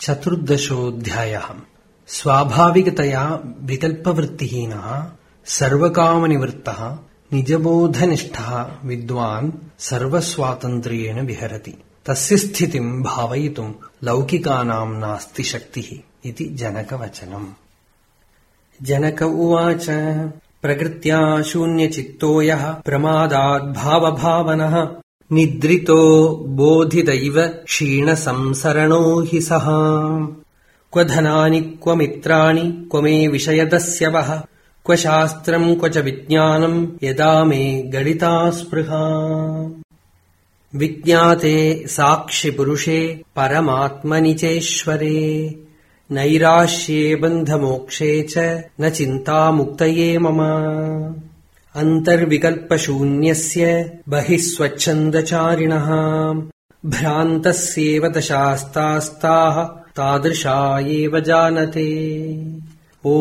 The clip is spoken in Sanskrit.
चतुर्दशोऽध्यायः। स्वाभाविकतया विकल्पवृत्तिहीनः सर्वकामनिवृत्तः निजबोधनिष्ठः विद्वान् सर्वस्वातन्त्र्येण विहरति। तस्य स्थितिं भावयितुं लौकिकानां नास्ति शक्तिः इति जनकवचनम्। जनक उवाच प्रकृत्या शून्यचित्तो यः प्रमादाद् भावभावनः निद्रितो बोधिदैव क्षीणसंसरणो हि सः। क्व धनानि क्व मित्राणि क्व मे विषयदस्यवः क्व शास्त्रम् क्व च विज्ञानम् यदा मे गणिता स्पृहा। विज्ञाते साक्षिपुरुषे परमात्मनि चेश्वरे नैराश्ये बन्धमोक्षे च न चिन्ता मुक्तये मम। अन्तर्विकल्पशून्यस्य बहिः स्वच्छन्दचारिणः भ्रान्तस्येव दशास्तास्ताः तादृशा एव जानते। ओ